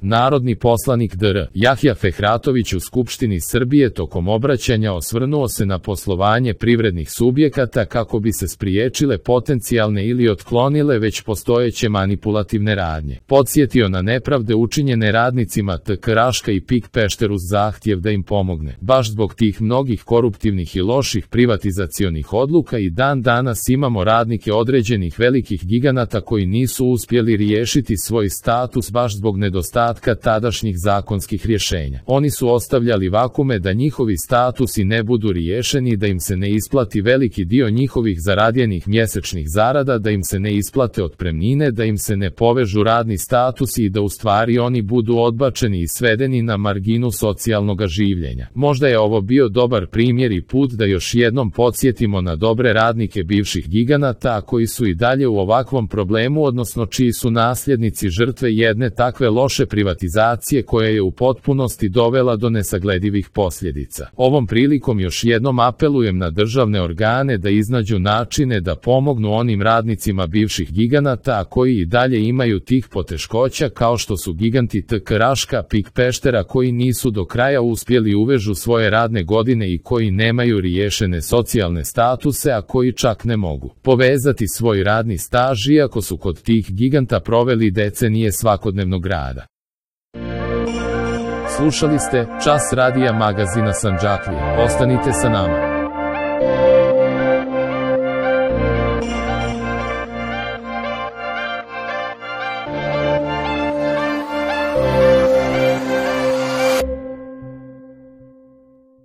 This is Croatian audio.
Narodni poslanik dr. Jahja Fehratović u Skupštini Srbije tokom obraćanja osvrnuo se na poslovanje privrednih subjekata kako bi se spriječile potencijalne ili otklonile već postojeće manipulativne radnje. Podsjetio na nepravde učinjene radnicima TK Raška i PIK Pešter uz zahtjev da im pomogne. Baš zbog tih mnogih koruptivnih i loših privatizacionih odluka i dan danas imamo radnike određenih velikih giganata koji nisu uspjeli riješiti svoj status baš zbog nedostatka tadašnjih zakonskih rješenja. Oni su ostavljali vakume da njihovi statusi ne budu riješeni, da im se ne isplati veliki dio njihovih zaradjenih mjesečnih zarada, da im se ne isplate otpremnine, da im se ne povežu radni statusi i da u stvari oni budu odbačeni i svedeni na marginu socijalnog življenja. Možda je ovo bio dobar primjer i put da još jednom podsjetimo na dobre radnike bivših giganata, koji su i dalje u ovakvom problemu, odnosno čiji su nasljednici žrtve jedne takve loše privatizacije koja je u potpunosti dovela do nesagledivih posljedica. Ovom prilikom još jednom apelujem na državne organe da iznađu načine da pomognu onim radnicima bivših giganata, a koji i dalje imaju tih poteškoća, kao što su giganti TK Raška, PIK Peštera, koji nisu do kraja uspjeli uvežu svoje radne godine i koji nemaju riješene socijalne statuse, a koji čak ne mogu povezati svoj radni staž iako su kod tih giganta proveli decenije svakodnevnog rada. Slušali ste Čas radija magazina Sandžaklije. Ostanite sa nama.